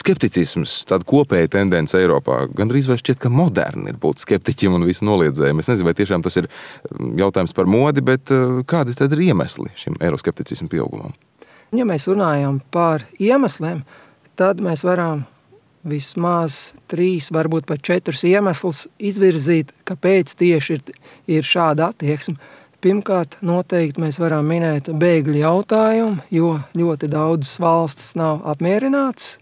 skepticisms, tāda kopēja tendence Eiropā. Gandrīz vai šķiet, ka moderni ir būt skeptiķiem un visu noliedzējiem. Es nezinu, vai tiešām tas ir jautājums par modi, bet kādi tad ir iemesli šim eiroskepticismu pieaugumam? Ja mēs runājam par iemesliem, tad mēs varam vismaz 3, varbūt pat 4 iemeslus izvirzīt, kāpēc tieši ir šāda attieksme. Pirmkārt, noteikti mēs varam minēt bēgļu jautājumu, jo ļoti daudzas valstis nav apmierināts,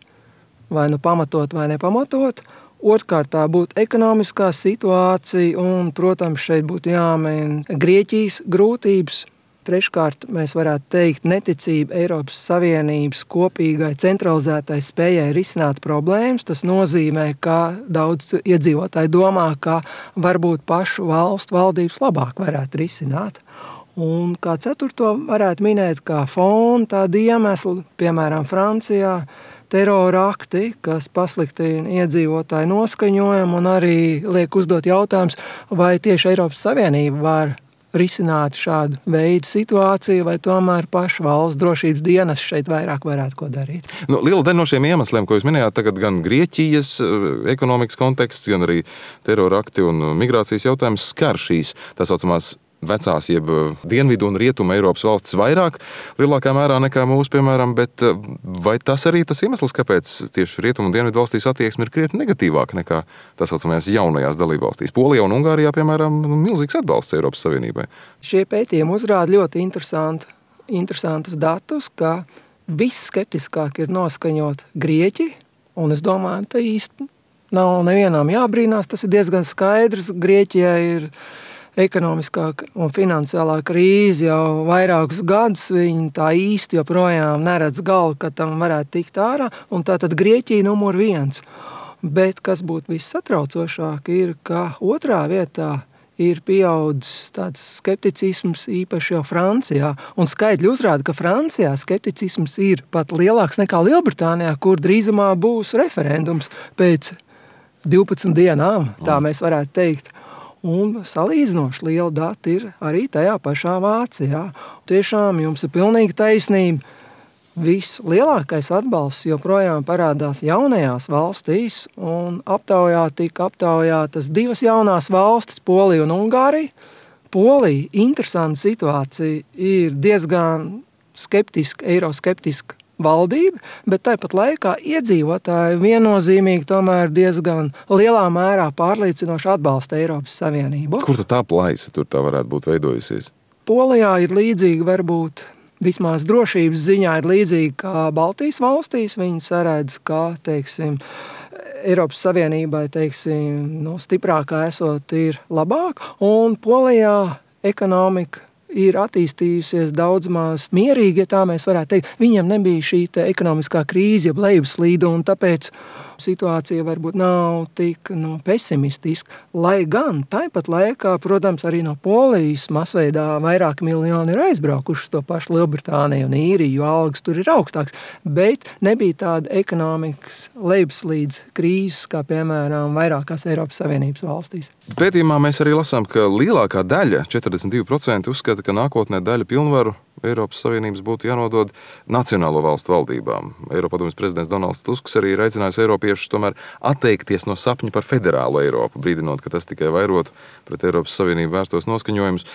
vai nu pamatot, vai nepamatot. Otrkārt, tā būtu ekonomiskā situācija, un, protams, šeit būtu jāmin Grieķijas grūtības. Treškārt, mēs varētu teikt neticība Eiropas Savienības kopīgai centralizētai spējai risināt problēmas. Tas nozīmē, ka daudz iedzīvotāji domā, ka varbūt pašu valstu valdības labāk varētu risināt. Un kā ceturto varētu minēt kā fonu tādu iemeslu, piemēram, Francijā, terora akti, kas pasliktina iedzīvotāju noskaņojumu un arī liek uzdot jautājums, vai tieši Eiropas Savienība var risināt šādu veidu situāciju, vai tomēr pašu valsts drošības dienas šeit vairāk varētu ko darīt. Liela daļa no šiem iemesliem, ko jūs minējāt, tagad gan Grieķijas ekonomikas konteksts, gan arī terora akti un migrācijas jautājums skar šīs tā saucamās vecās, jeb dienvidu un rietumu Eiropas valstis vairāk, lielākā mērā nekā mūsu, piemēram, bet vai tas arī tas iemesls, kāpēc tieši rietumu un dienvidu valstīs attieksme ir krietni negatīvāka nekā tā saucamajās jaunajās dalībvalstīs? Polijā un Ungārijā, piemēram, milzīgs atbalsts Eiropas Savienībai. Šie pētījumi uzrāda ļoti interesantus datus, ka visskeptiskāk ir noskaņot Grieķi, un es domāju, tā īsti nav nevienam jābrīnās, tas ir diezgan skaidrs. Grieķijai ir ekonomiskā un finansiālā krīze jau vairākus gadus, viņi tā īsti joprojām neredz galu, ka tam varētu tikt ārā, un tātad Grieķija numur 1. Bet kas būtu vissatraucošāk ir, ka otrā vietā ir pieaudzis tāds skepticisms īpaši jau Francijā, un skaitļi uzrāda, ka Francijā skepticisms ir pat lielāks nekā Lielbritānijā, kur drīzumā būs referendums pēc 12 dienām, tā mēs varētu teikt. Un salīdzinoši liela data ir arī tajā pašā Vācijā. Tiešām jums ir pilnīgi taisnība. Vislielākais atbalsts joprojām parādās jaunajās valstīs, un tika aptaujātas 2 jaunās valstis, Polija un Ungārija. Polija, interesanta situācija, ir diezgan skeptiska, eiroskeptiska valdība, bet tāpat laikā iedzīvotāji viennozīmīgi tomēr diezgan lielā mērā pārliecinoši atbalsta Eiropas Savienību. Kur tā plaisa tur tā varētu būt veidojusies? Polijā ir līdzīga, varbūt vismaz drošības ziņā ir līdzīga kā Baltijas valstīs. Viņi saredz, ka, Eiropas Savienībai, stiprākā esot ir labāk, un Polijā ekonomika ir attīstījusies daudz maz mierīgi, ja tā mēs varētu teikt. Viņiem nebija šī ekonomiskā krīze, jeb lejupslīde, un tāpēc situācija varbūt nav tik pesimistiska. Lai gan tāpat laikā, protams, arī no Polijas masveidā vairāki miljoni ir aizbraukuši uz to pašu Lielbritāniju un Īriju, jo algas tur ir augstāks, bet nebija tāda ekonomikas lejupslīdes krīzes, kā piemēram vairākās Eiropas Savienības valstīs. Pētījumā mēs arī lasām, ka lielākā daļa, 42%, uzskata, ka nākotnē daļa pilnvaru Eiropas Savienības būtu jānodod nacionālo valstu valdībām. Eiropadomes prezidents Donalds Tusks arī ir aicinājis eiropiešus tomēr atteikties no sapņa par federālo Eiropu, brīdinot, ka tas tikai vairotu pret Eiropas Savienību vērstos noskaņojumus.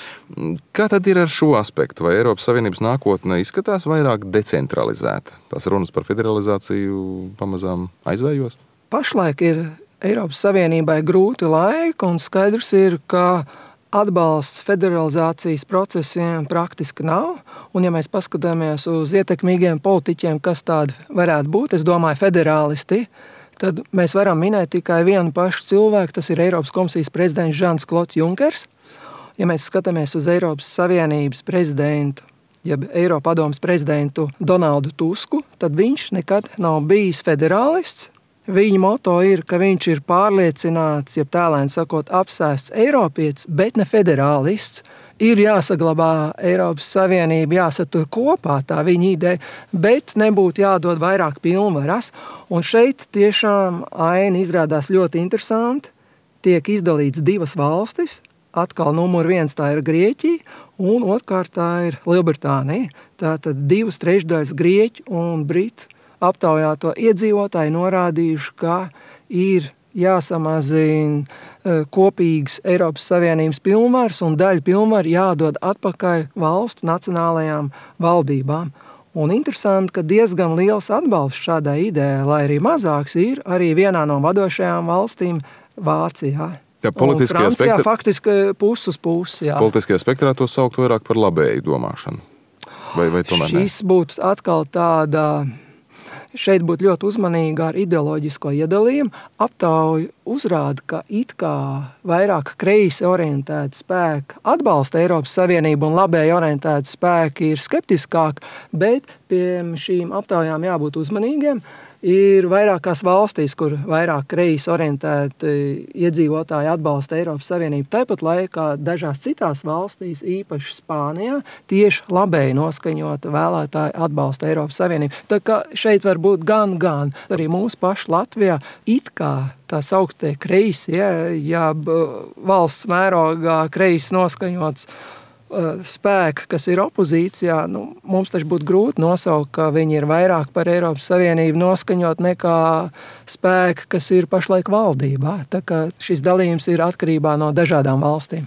Kā tad ir ar šo aspektu? Vai Eiropas Savienības nākotne izskatās vairāk decentralizēta? Tās runas par federalizāciju pamazām aizvējos? Pašlaik ir Eiropas Savienībai grūti laiki, un skaidrs ir, ka atbalsts federalizācijas procesiem praktiski nav, un ja mēs paskatāmies uz ietekmīgiem politiķiem, kas tādi varētu būt, es domāju federālisti, tad mēs varam minēt tikai vienu pašu cilvēku, tas ir Eiropas komisijas prezidents Žans-Klods Junkers. Ja mēs skatāmies uz Eiropas Savienības prezidentu, jeb Eiropadomes prezidentu Donaldu Tusku, tad viņš nekad nav bijis federālists. Viņa moto ir, ka viņš ir pārliecināts, jeb tēlēni sakot, apsēsts eiropietis, bet ne federālists. Ir jāsaglabā Eiropas Savienība, jāsatur kopā tā viņa ideja, bet nebūtu jādod vairāk pilnvaras. Un šeit tiešām aina izrādās ļoti interesanti. Tiek izdalīts 2 valstis. Atkal numur 1 tā ir Grieķija, un otrkārt tā ir Lielbritānija. Tātad 2/3 Grieķu un Britu aptaujāto iedzīvotāji norādījuši, ka ir jāsamazina kopīgas Eiropas Savienības pilnvaras un daļa pilnvaru jādod atpakaļ valstu nacionālajām valdībām. Un interesanti, ka diezgan liels atbalsts šādai idejai, lai arī mazāks, ir arī vienā no vadošajām valstīm Vācijā. Ja politiskajā Francijā faktiski pusi uz pusi. Politiskajā spektrā to saukt vairāk par labēju domāšanu. Vai tomēr ne? Šis būtu atkal tāda... Šeit būtu ļoti uzmanīga ar ideoloģisko iedalījumu. Aptauja uzrāda, ka it kā vairāk kreisi orientēti spēki atbalsta Eiropas Savienību un labēji orientēti spēki ir skeptiskāki, bet pie šīm aptaujām jābūt uzmanīgiem. Ir vairākās valstīs, kur vairāk kreisi orientēti iedzīvotāji atbalsta Eiropas Savienību. Tāpat laikā dažās citās valstīs, īpaši Spānijā, tieši labēji noskaņota vēlētāji atbalsta Eiropas Savienību. Tā kā šeit var būt gan. Arī mūsu paši Latvijā it kā tā sauktie kreisi, ja valsts mērogā kreisi noskaņots spēki, kas ir opozīcijā, mums taču būtu grūti nosaukt, ka viņi ir vairāk par Eiropas Savienību noskaņot nekā spēki, kas ir pašlaik valdībā. Tā kā šis dalījums ir atkarībā no dažādām valstīm.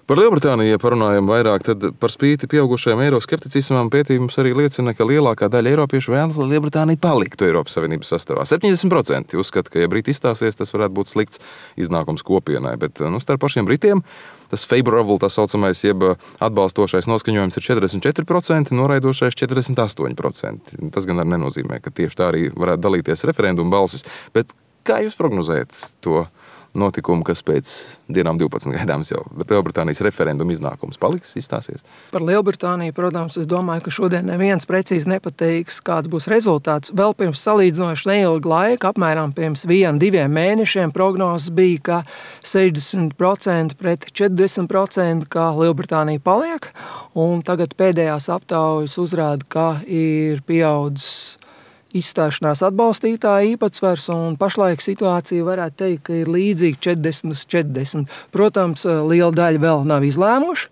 Par Lielbritāniju, ja parunājam vairāk, tad par spīti pieaugušajam eiroskepticismam pētījums arī liecina, ka lielākā daļa eiropiešu vēlas, lai Lielbritānija paliktu Eiropas Savienības sastāvā. 70% uzskata, ka ja Briti izstāsies, tas varētu būt slikts iznākums kopienai, bet starp pašiem Britiem tas favorable, tā saucamais, jeb atbalstošais noskaņojums ir 44%, noraidošais 48%. Tas gan arī nenozīmē, ka tieši tā arī varētu dalīties referendumu balsis, bet kā jūs prognozējat to notikumu, kas pēc dienām 12 gaidāms jau Lielbritānijas referenduma iznākums paliks, izstāsies? Par Lielbritāniju, protams, es domāju, ka šodien neviens precīzi nepateiks, kāds būs rezultāts. Vēl pirms salīdzinoši neilga laika, apmēram pirms 1-2 mēnešiem, prognozes bija, ka 60% pret 40%, ka Lielbritānija paliek, un tagad pēdējās aptaujas uzrāda, ka ir pieaudzis izstāšanās atbalstītāja īpatsvars, un pašlaik situācija varētu teikt, ka ir līdzīga 40-40. Protams, liela daļa vēl nav izlēmuši,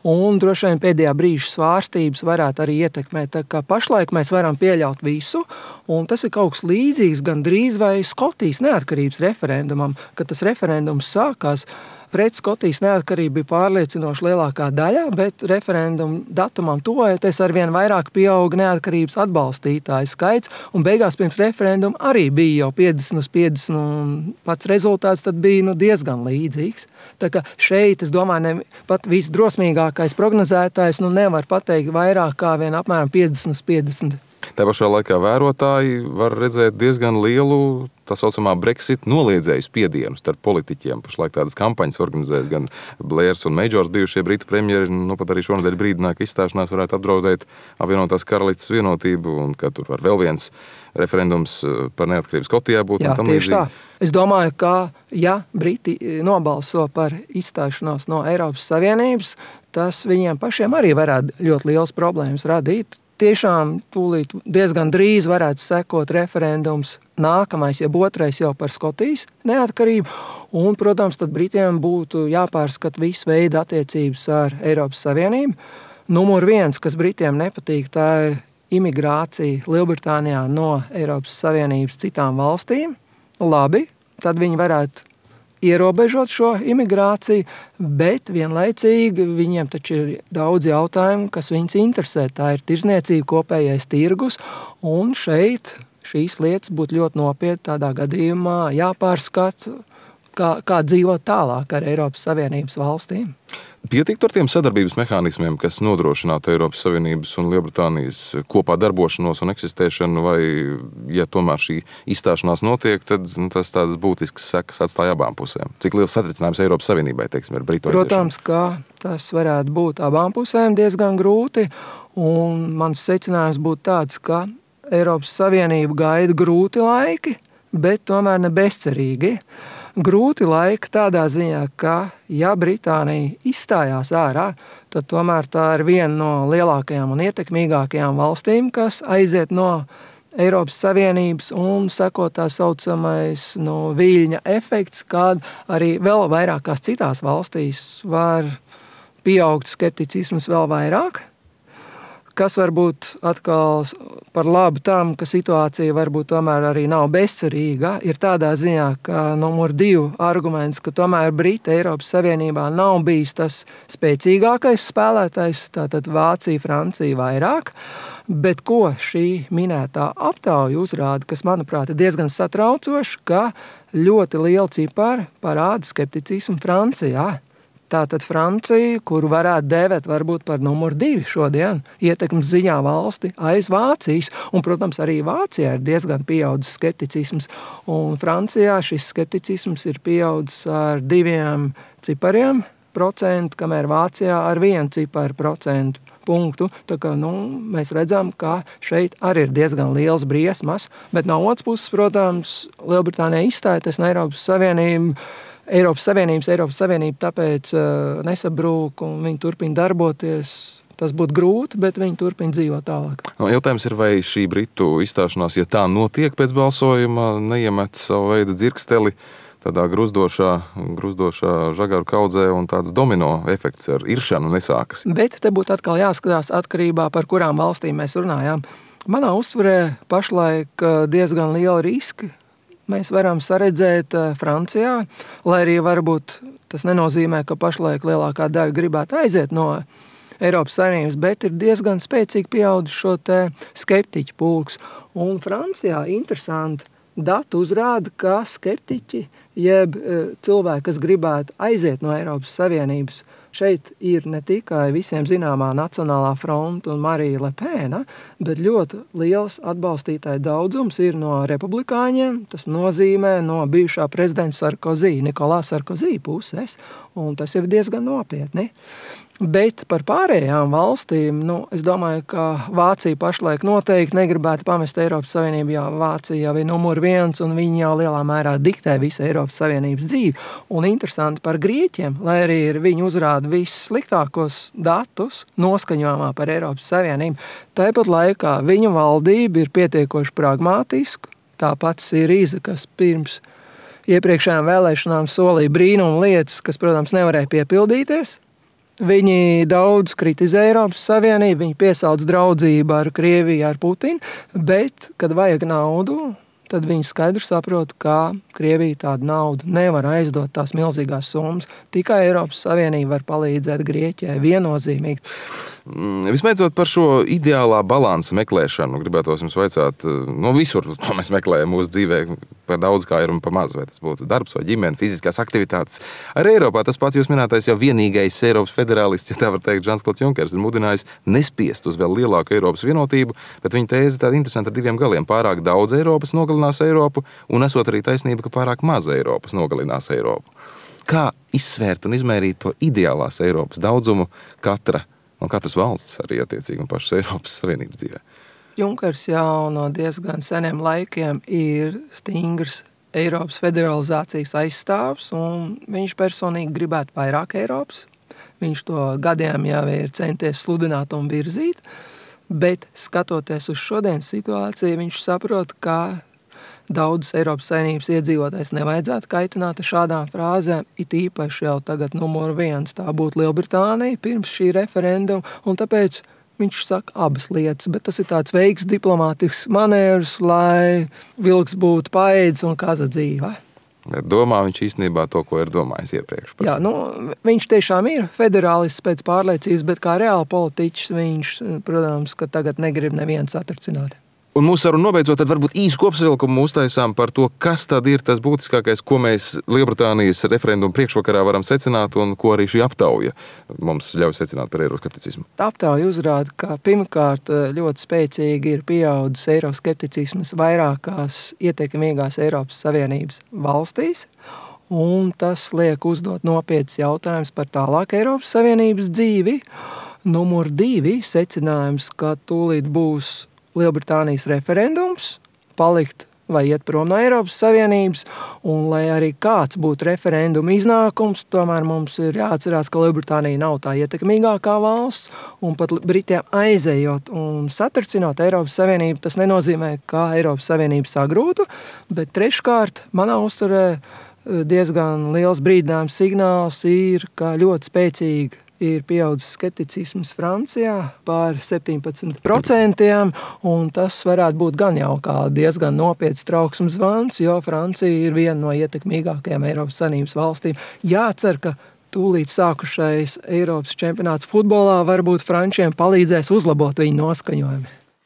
un droši vien pēdējā brīža svārstības varētu arī ietekmēt. Tā kā pašlaik mēs varam pieļaut visu, un tas ir kaut kas līdzīgs gan drīz vai Skotijas neatkarības referendumam, kad tas referendums sākās. Pret Skotijas neatkarību bija pārliecinoši lielākā daļa, bet referendumu datumam tuvojoties arvien vairāk pieauga neatkarības atbalstītāju skaits, un beigās pirms referenduma arī bija jau 50-50, un pats rezultāts tad bija diezgan līdzīgs. Tā kā šeit, es domāju, pat visdrosmīgākais prognozētājs nevar pateikt vairāk kā vien apmēram 50-50. Tā pašā laikā vērotāji var redzēt diezgan lielu tā saucamā Brexit noliedzēju spiedienu starp politiķiem. Pašlaik tādas kampaņas organizēs gan Blairs un Majors, bijušie Britu premjeri, pat arī šonadēļ brīdināja, ka izstāšanās varētu apdraudēt apvienotās karalistes vienotību, un ka tur var vēl viens referendums par neatkarību Skotijā būt. Jā, tieši tā. Es domāju, ka ja Briti nobalso par izstāšanos no Eiropas Savienības, tas viņiem pašiem arī varētu ļoti liels problēmas radīt. Tiešām tūlīt diezgan drīz varētu sekot referendums nākamais, jeb otrais jau par Skotijas neatkarību. Un, protams, tad Britiem būtu jāpārskata visu veidu attiecības ar Eiropas Savienību. Numur 1, kas Britiem nepatīk, tā ir imigrācija Lielbritānijā no Eiropas Savienības citām valstīm. Labi, tad viņi varētu ierobežot šo imigrāciju, bet vienlaicīgi viņiem taču ir daudz jautājumu, kas viņus interesē. Tā ir tirzniecība, kopējais tirgus, un šeit šīs lietas būtu ļoti nopietni tādā gadījumā jāpārskata, kā dzīvot tālāk ar Eiropas Savienības valstīm. Pietiktu ar tiem sadarbības mehānismiem, kas nodrošinātu Eiropas Savienības un Lielbritānijas kopā darbošanos un eksistēšanu, vai, ja tomēr šī izstāšanās notiek, tad tas tādas būtiskas sekas atstāja abām pusēm? Cik liels satricinājums Eiropas Savienībai, teiksim, ar Britu aiziešanu? Protams, ka tas varētu būt abām pusēm diezgan grūti, un mans secinājums būtu tāds, ka Eiropas Savienību gaida grūti laiki, bet tomēr ne bezcerīgi. Grūti laiki tādā ziņā, ka ja Britānija izstājās ārā, tad tomēr tā ir viena no lielākajām un ietekmīgākajām valstīm, kas aiziet no Eiropas Savienības un seko tā saucamais viļņa efekts, kad arī vēl vairākās citās valstīs var pieaugt skepticisms vēl vairāk. kas varbūt atkal par labu tam, ka situācija varbūt tomēr arī nav bezcerīga, ir tādā ziņā, ka numur 2 arguments, ka tomēr Briti Eiropas Savienībā nav bijis tas spēcīgākais spēlētājs, tātad Vācija, Francija vairāk, bet ko šī minētā aptauja uzrāda, kas, manuprāt, ir diezgan satraucoši, ka ļoti liela cipara parāda skepticismu Francijā. Tātad Francija, kuru varētu dēvēt varbūt par numur 2 šodien, ietekmes ziņā valsti aiz Vācijas, un, protams, arī Vācijā ir diezgan pieaudzis skepticisms, un Francijā šis skepticisms ir pieaudzis ar 2 cipariem procentu, kamēr Vācijā ar 1 ciparu procentu punktu. Tā kā, mēs redzam, ka šeit arī ir diezgan liels briesmas, bet no otras puses, protams, Lielbritānija izstājoties no Eiropas Savienība tāpēc nesabrūk un viņi turpina darboties. Tas būtu grūti, bet viņi turpina dzīvot tālāk. Jautājums ir, vai šī Britu izstāšanās, ja tā notiek pēc balsojuma, neiemet savu veidu dzirksteli tādā gruzdošā žagaru kaudzē un tāds domino efekts ar iršanu nesākas. Bet te būtu atkal jāskatās atkarībā, par kurām valstīm mēs runājām. Manā uztverē pašlaik diezgan liela riski mēs varam saredzēt Francijā, lai arī varbūt tas nenozīmē, ka pašlaik lielākā daļa gribētu aiziet no Eiropas Savienības, bet ir diezgan spēcīgi pieaudzis šo te skeptiķu pulks. Un Francijā interesanti dati uzrāda, ka skeptiķi, jeb cilvēki, kas gribētu aiziet no Eiropas Savienības, šeit ir ne tikai visiem zināmā Nacionālā fronta un Marija Le Pena, bet ļoti liels atbalstītāju daudzums ir no republikāņiem. Tas nozīmē no bijušā prezidenta Sarkozy, Nikolā Sarkozy puses, un tas ir diezgan nopietni. Bet par pārējām valstīm, es domāju, ka Vācija pašlaik noteikti negribētu pamest Eiropas Savienību, jo Vācija jau ir numur 1 un viņi jau lielā mērā diktē visu Eiropas Savienības dzīvi. Un interesanti par Grieķiem, lai arī viņi uzrāda vissliktākos datus noskaņojumā par Eiropas Savienību, tāpat laikā viņu valdība ir pietiekoši pragmātiska. Tāpat Sirīza, kas pirms iepriekšējām vēlēšanām solīja brīnumu lietas, kas, protams, nevarēja piepildīties. Viņi daudz kritizē Eiropas Savienību, viņi piesauc draudzību ar Krieviju, ar Putinu, bet, kad vajag naudu, tad viņi skaidri saprot, ka Krievija tādu naudu nevar aizdot tās milzīgās summas. Tikai Eiropas Savienība var palīdzēt Grieķijai viennozīmīgi. Visbeidzot par šo ideālā balansa meklēšanu, gribētos jums vaicāt, visur to mēs meklējam mūsu dzīvē, par daudz kā ir un par maz, vai tas būtu darbs vai ģimene, fiziskās aktivitātes. Arī Eiropā tas pats jūs minētais jau vienīgais Eiropas federālists, ja tā var teikt, Žans-Klods Junkers, ir mudinājis nespiest uz vēl lielāku Eiropas vienotību, bet viņa tēze tāda interesanta ar 2 galiem. Pārāk daudz Eiropas nogalinās Eiropu, un esot arī taisnība, ka pārāk maz Eiropas nogalinās Eiropu. Kā izsvērt un izmērīt to ideālās Eiropas daudzumu katras valsts arī attiecīgi un pašas Eiropas Savienības dzīvē? Junkers jau no diezgan seniem laikiem ir stingrs Eiropas federalizācijas aizstāvs, un viņš personīgi gribētu vairāk Eiropas. Viņš to gadiem jau ir centies sludināt un virzīt, bet skatoties uz šodienas situāciju, viņš saprot, ka daudzus Eiropas Savienības iedzīvotājs nevajadzētu kaitināt ar šādām frāzēm, it īpaši jau tagad numur 1 tā būtu Lielbritānija pirms šī referenduma, un tāpēc viņš saka abas lietas, bet tas ir tāds veiks diplomātisks manēvrs, lai vilks būtu paēdis un kaza dzīve. Domā viņš īstenībā to, ko ir domājis iepriekš? Jā, viņš tiešām ir federālists pēc pārliecības, bet kā reāli politiķis viņš, protams, ka tagad negrib neviens satricināt. Un mūsu sarunu nobeidzot, tad varbūt īsu kopsavilkumu uztaisām par to, kas tad ir tas būtiskākais, ko mēs Lielbritānijas referendumu priekšvakarā varam secināt un ko arī šī aptauja mums ļauj secināt par eiroskepticismu. Aptauja uzrāda, ka pirmkārt ļoti spēcīgi ir pieaudzis eiroskepticisms vairākās ietekmīgās Eiropas Savienības valstīs, un tas liek uzdot nopietnas jautājumus par tālāk Eiropas Savienības dzīvi. Numur 2 secinājums, ka tūlīt būs Lielbritānijas referendums, palikt vai iet prom no Eiropas Savienības, un lai arī kāds būtu referenduma iznākums, tomēr mums ir jāatcerās, ka Lielbritānija nav tā ietekmīgākā valsts, un pat Britiem aizejot un satricinot Eiropas Savienību, tas nenozīmē, ka Eiropas Savienība sagrūtu, bet treškārt manā uzturē diezgan liels brīdinājums signāls ir, ka ļoti spēcīga ir pieaudzis skepticisms Francijā par 17%, un tas varētu būt gan jau kā diezgan nopietns trauksmes zvans, jo Francija ir viena no ietekmīgākajām Eiropas Savienības valstīm. Jācer, ka tūlīt sākušais Eiropas čempionāts futbolā varbūt frančiem palīdzēs uzlabot viņu noskaņojumu.